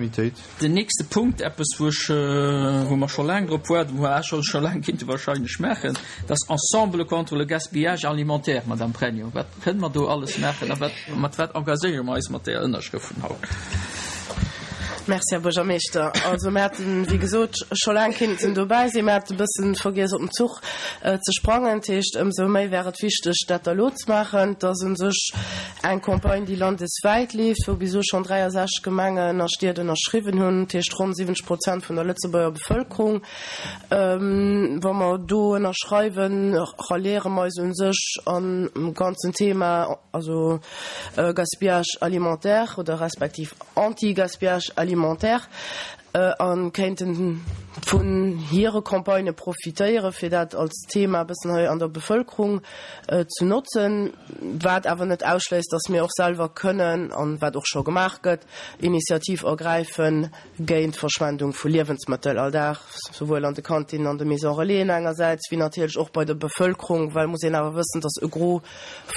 Unanimitéit. Den nächste Punkt, eppes wou ech, wou mer scho laang drop waarden, wou mer scho scho laang kinnte wahrscheinlech maachen, dat ass Ensemble contre le gaspillage alimentaire. Madame Pregno, wat kënne mer do alles maachen a wat, mat wat engagéiere mer eis mat där Ënnerschrëft vun haut? Merci, Här Buergermeeschter. Also mir hätten, wéi gesot, scho laang kinnten dobäi sinn. Mir hate bëssen vergiess op den Zuch ze sprangen. Dat heescht, ëmsou méi wär et wichteg, dat da lo ze maachen. Et ass u sech eng Campagne, déi landeswäit leeft, wou bis elo schonn 63 Gemengen a Stied ënnerschriwwen hunn, dat heescht ronn 70 Prozent vun der Lëtzebuerger Bevëlkerung. Wa mer do ënnerschreiwen, ralliere mer eis u sech am ganzen Thema, also Gaspillage alimentaire oder respektiv Anti-Gaspillage alimentaire, a kéinte vun hire Campagnë profitéieren, fir dat als Thema e bëssen hei an der Bevëlkerung ze notzen, wat awer net ausschléisst, dass mir och selwer kënnen, an wat och scho gemaach gëtt, Initiativ ergräifen géint d'Verschwendung vu Liewensmëttel all Dag, souwuel an de Kantinen, an de Maisons Relaisen engersäits, wéi natierlech och bei der Bevëlkerung, well muss een awer wëssen, dass e Gros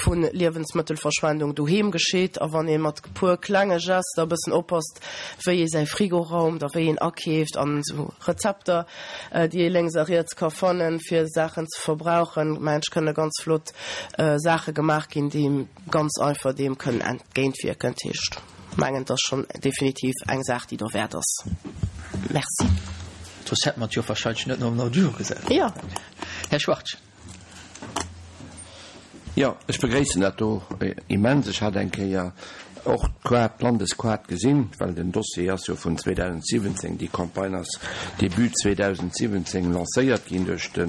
vu Liewensmëttelverschwendung doheem geschitt. A wann ee mat e puer klenge Gester e bëssen oppasst, wéi ee säi Frigo raumt a wéi een akeeft an esou Rezepter, déi ee lénks a riets ka fannen, fir Saachen ze verbrauchen, mengen ech, kënne ganz flott Saache gemaach ginn, déi ganz einfach deem kënnen entgéintwierken. Dat heescht, mengen, et ass schonn definitiv eng Saach, déi derwäert ass. Merci. Soss hätte mer et jo wahrscheinlech net no den Ordre du jour gesat. Jo. Här Schwartz. Jo, ech begréissen dat do immens. Ech hat eng Kéier och d'Kaart, d'Landeskaart gesinn, well den Dossier ass jo vun 2017, déi Campagne ass Début 2017 lancéiert ginn duerch de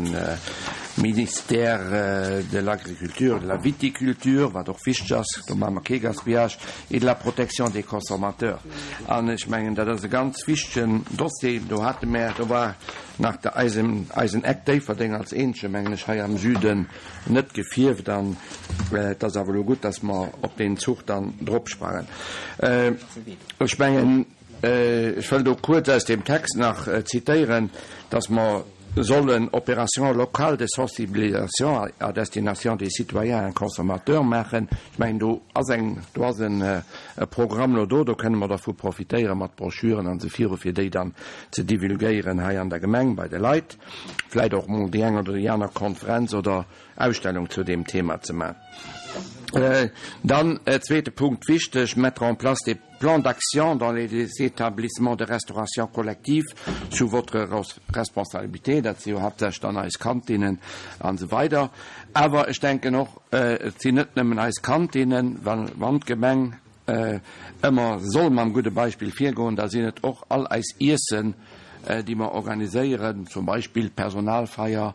Ministère de l'Agriculture et de la Viticulture, wat och wichteg ass, do maache mer kee Gaspillage, et de la Protection des consommateurs. An ech mengen, dat ass e ganz wichtegen Dossier. Do hate mer, do war Nach de eisen eisen Eck Déifferdeng als eenzege, mengen ech, hei am Süden net gefierft. An et ass awer elo gutt, dass mer op deen Zuch dann dropsprangen. Ech mengen, ech wëll do kuerz aus deem Text nach zitéieren, dass mer sollen Opérations locales de sensibilisation à destination des citoyens et consommateurs maachen. Ech mengen, do ass eng, do ass e Programm elo do, do kënne mer dervu profitéieren mat Broschüren an esou viru fir déi dann ze divulgéieren hei an der Gemeng bei de Leit, vläit och mol déi eng oder déi aner Konferenz oder Ausstellung zu deem Thema ze man. Dann zweete Punkt, wichteg, mettre en place des plans d'action dans les établissements de restauration collective sous votre responsabilité, dat si jo haaptsächlech dann eis Kantinnen an esou weider. Awer ech denken och, et sinn net nëmmen eis Kantinnen, well wann d'Gemeng ëmmer soll mam gudde Beispill virgoen, da sinn et och all eis Iessen, déi mer organiséieren, zum Beispill d'Personalfeier,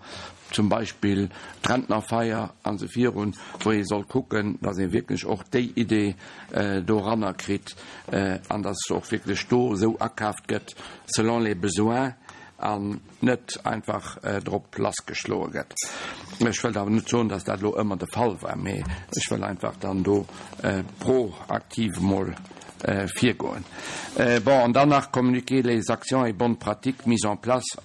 zum Beispill d'Rentnerfeier an esou virun, wou ee soll kucken, dass ee wierklech och déi Idee doranner kritt an dass och wierklech do esou akaaft gëtt selon les besoins an net einfach drop lassgeschloe gëtt. Ech wëllt awer net soen, dass dat elo ëmmer de Fall war, mee ech wëll einfach dann do proaktiv emol virgoen. Bon, an dann nach communiquer les actions et bonnes pratiques mises en place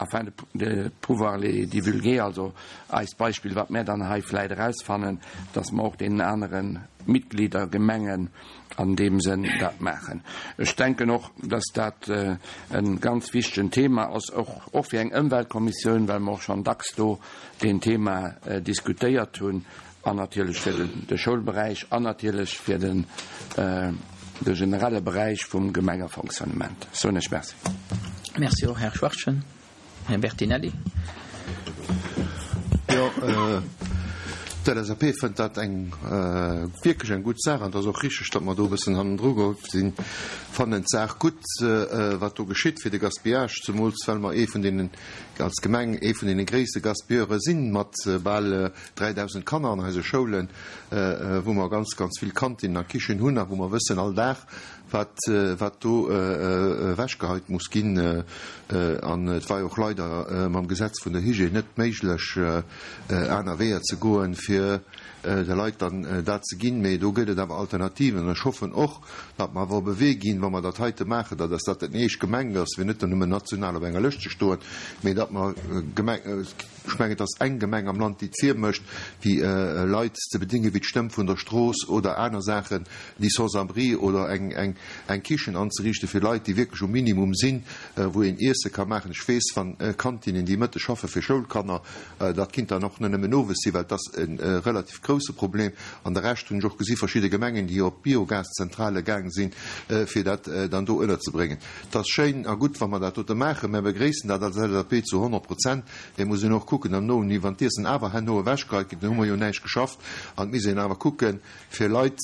afin de pouvoir les divulguer, also eist Beispill, wat mär dann hei vläit erausfannen, dass mer och deenen anere Mitgliedergemengen an deem Sënn dat maachen. Ech denken och, dass dat e ganz wichtegen Thema ass, och, och fir eng Ëmweltkommissioun, well mer och schonn dacks do deen Thema diskutéiert hunn, an natierlech fir de Schoulberäich an natierlech fir den, de generelle Beräich vum Gemengefonctionnement. Soen ech Merci. Merci och, Här Schwachtgen. Här Bertinelli. Jo, d'LSAP fënnt dat eng wierklech eng gutt Saach an et ass och richteg, datt mer do e bëssen hannendru geholl sinn. Fannen d'Saach gutt, wat do geschitt fir de Gaspillage, zemools well mer ee vun deenen, als Gemeng, ee vun deene gréisste Gaspilleure sinn, mat bal 3.000 Kanner an eise Schoulen, wou mer ganz, ganz vill Kantinnen a Kichen hunn a wou mer wëssen all Dag, wat wat do ewechgeheit muss ginn. An et war jo och leider mam Gesetz vun der Hygiène net méiglech, aner Weeër ze goen, fir. fir de Leit dann dat ze ginn. Mee do gëtt et awer Alternativen an ech hoffen och, datt mer awer op e Wee ginn, wa mer dat heite maachen, datt ass dat net eescht gemengt ass, fir net nëmmen national op enger Lëscht ze stoen, mee datt mer Gemeng, ech mengen et ass eng Gemeng am Land, déi et virmécht, déi Leit ze bedingen, wéi d'Stëmm vun der Strooss oder aner Saachen, déi Sans-abri oder eng, eng, eng Kichen anzeriichten fir Leit, déi wierklech um Minimum sinn, wou een Iesse ka maachen. Ech weess, wann Kantinnen, déi mëtteg schaffe fir Schoulkanner, dat kinnt dann och net nëmmen owes sinn, well et ass e relativ grouse Problem. An de Rescht hunn ech och gesi verschidde Gemengen, déi op Biogaszentrale gaang sinn, fir dat dann do ënnerzebréngen. Et ass schéin a gutt, wa mer dat dote maachen. Mär begréissen dat als LSAP zu 100 Prozent. Mä et muss een och kucken, am Nohni, wann d'Iessen awer herno ewechgeheit gëtt, dann hu mer jo näischt geschafft. An et misst een awer kucken, fir Leit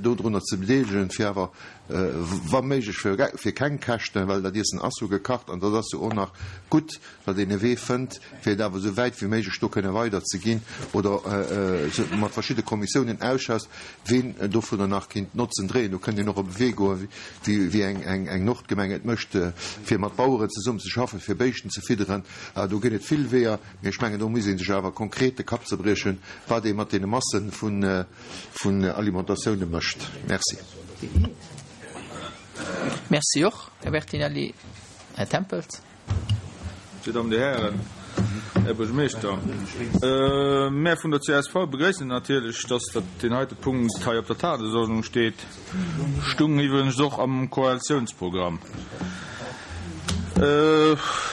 dodrunner ze bedeelegen, fir awer wa méiglech fir keng Käschten, well dat Iessen ass jo gekacht an dat ass jo och nach gutt, datt een e Wee fënnt, fir et awer esou wäit wéi méiglech do kënne weiderzeginn oder mat verschidde Kommissiounen ausschafft, ween dovunner nach kinnt Notzen dréien. Do kënnt een och op e Wee goen, wéi eng Nordgemeng et mécht, fir mat Baueren zesummen ze schaffen, fir Béischten ze fidderen. Do ginn et vill Weeër. Mee ech mengen, do muss ee sech awer konkret de Kapp zerbriechen, wat ee mat deene Masse vun Alimentatioune mécht. Merci. Merci och, Här Bertinelli. Här Tempels. Dir Dammen, Dir Hären, Här Buergermeeschter, mär vun der csv begréissen natierlech, dass dat deen heite Punkt hei op der Tagesordnung steet. Stung iwwregens och am Koalitiounsprogramm.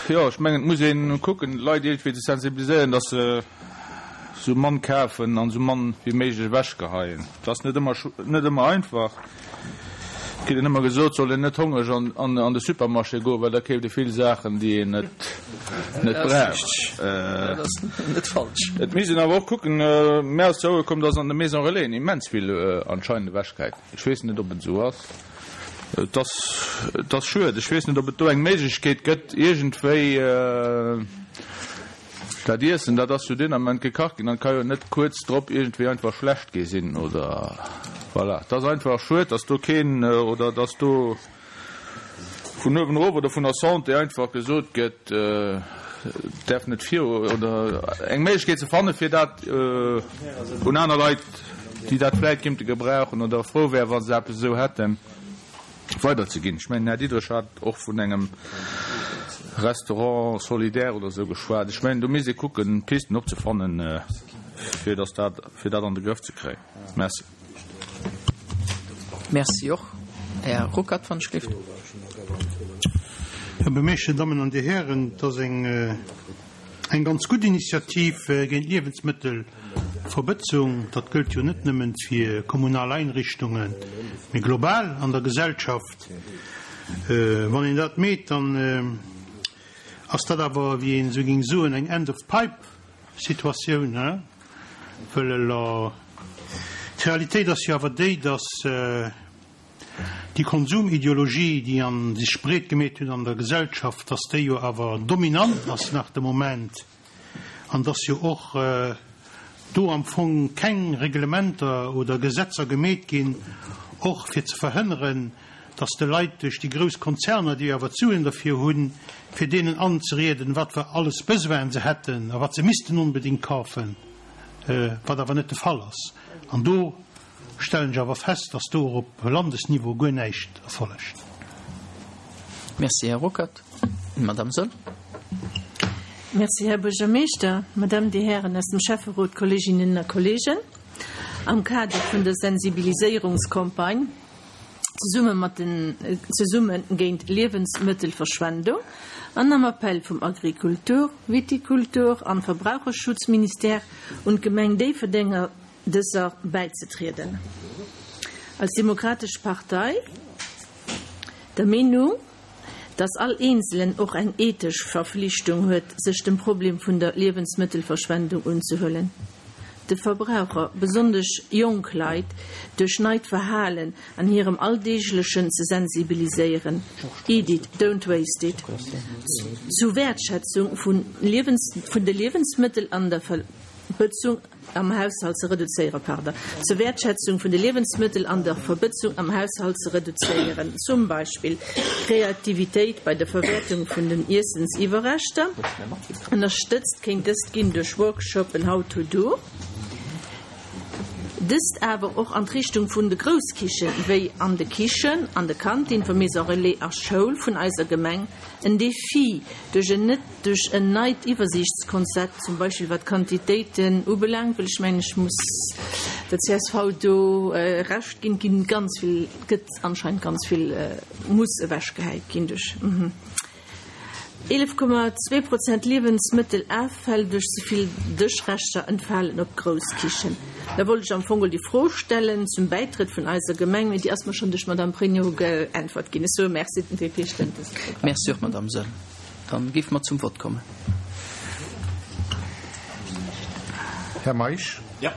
Jo, ech mengen, et muss ee kucken, d'Leit iergendwéi ze sensibiliséieren, datt se sou mann kafen an sou mann wéi méiglech ewechgeheien. Dat ass net ëmmer, net ëmmer einfach. Et kritt een ëmmer gesot, et soll een net hongreg an de Supermarché goen, well da keeft ee vill Saachen, déi een net, net brauch. Dat ass net falsch. Et misst een awer och kucken, mär ass ze Ouere komm, datt an de Maison Relaisen immens vill anscheinend ewechgehäit gëtt. Ech weess net, ob et esou ass. Et ass, et ass schued. Ech weess net, ob et do eng Méiglechkeet gëtt, iergendwéi dat Iessen, dat ass jo deen Ament gekacht ginn an ka jo net kuerz drop iergendwéi einfach schlecht gi sinn oder voilà. Et ass einfach schued, datt do keen oder datt do vun uewen erof oder vun der Santé einfach gesot gëtt, et däerf net viru oder eng Méiglechkeet ze fanne fir dat un aner Leit, déi dat vläit kéinte gebrauchen oder frou wäre wa se eppes esou hätten, weiderzeginn. Ech mengen, den Här Diderich hat och vun engem Restaurant solidaire oder esou geschwat. Ech mengen, do misst ee kucken, Pisten opzefannen, fir datt dat, fir dat an de Grëff ze kréien. Merci. Merci och. Här Ruckert, wann ech gelift. Här Buergermeeschter, Dammen an Dir Hären, et ass eng eng ganz gutt Initiativ géint d'Liewensmëttelverbëtzung. Dat gëllt jo net nëmmen fir kommunal Einrichtungen, mee global an der Gesellschaft. Wann een dat meet, dann ass dat awer, wéi een esou géing soen, eng End-of-Pipe-Situatioun. Wëll elo, d'Realitéit ass jo awer déi, datt déi Konsumideologie, déi an sech breet gemeet huet an der Gesellschaft, datt déi jo awer dominant ass nach de Moment an datt jo och do am Fong keng Reglementer oder Gesetzer gemeet ginn, och fir ze verhënneren, datt de Leit duerch déi grouss Konzerner, déi jo awer d'Suen derfir hunn, fir deenen anzerieden, wat fir alles Besoinen se hätten a wat se missten onbedéngt kafen, wat awer net de Fall ass. An do stellen ech awer fest, datt do och op Landesniveau guer näischt erfollegt. Merci, Här Ruckert. Madame Soll. Merci, Här Buergermeeschter, Madame, Dir Hären aus dem Schäfferot, Kolleeginnen a Kolleegen. Am Kader vun der Sensibiliséierungscampagne zesumme mat den Zesumme géint Liewensmëttelverschwendung an am Appell vum Agrikultur-, Vitikultur an Verbraucherschutzministère un d'Gemeng Déifferdeng dëser bäizetrieden. Als Demokratesch Partei der Meenung, dass all Eenzelen och eng ethesch Verflichtung huet, sech dem Problem vun der Liewensmëttelverschwendung unzehuelen. De Verbraucher, besonnesch jonk Leit, duerch neit Verhalen an hirem Alldeeglechen ze sensibiliséieren, Eat it, don't waste it, zu Wäertschätzung vun de Liewensmëttel an der Verbëtzung am Haushalt ze reduzéieren, pardon, zur Wäertschätzung vun de Liewensmëttel an der Verbëtzung am Haushalt ze reduzéieren, zum Beispill Kreativitéit bei der Verwäertung vun den Iessensiwwerreschter. Ënnerstëtzt kéint dëst ginn duerch Workshopen How to do. Dëst awer och an d'Richtung vun de Grousskichen, wéi an de Kichen, an de Kantine vu Maison Relais a Schoul vun eiser Gemeng, en Defi duerch en net duerch en neit Iwwersiichtskonzept, zum Beispill wat d'Quantitéiten ubelaangt, well ech mengen, ech muss der csv do Recht ginn, et ginn ganz vill, gëtt anscheinend ganz vill muss ewechgehäit ginn duerch. 11,2 Prozent Liewensmëttelaffäll duerch ze vill Dëschreschter entfalen op Grousskichen. Da wollt ech am Fong déi Fro stellen zum Bäitrëtt vun eiser Gemeng, mee déi ass mer schonn duerch d'Madame Pregno geäntwert ginn. Ech soe Merci, den DP stëmmt dëse Programm. Merci och, Madame Saeul. Dann géife mer zum Vott kommen. Här Meisch? Jo.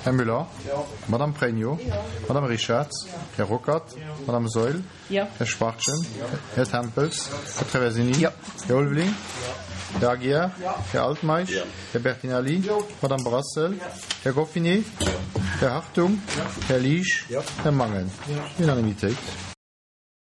Här Müller? Jo. Madame Pregno? Jo. Madame Richard? Jo. Här Ruckert? Jo. Madame Saeul? Jo. Här Schwachtgen? Jo. Här Tempels? Här Traversini? Jo. Här Ulveling? Jo. Här Aguiar? Jo. Här Altmeisch? Jo. Här Bertinelli? Jo. Madame Brassel? Jo. Här Goffinet? Jo. Här Hartung? Jo. Här Liesch? Jo. Här Mangen? Jo. Unanimitéit.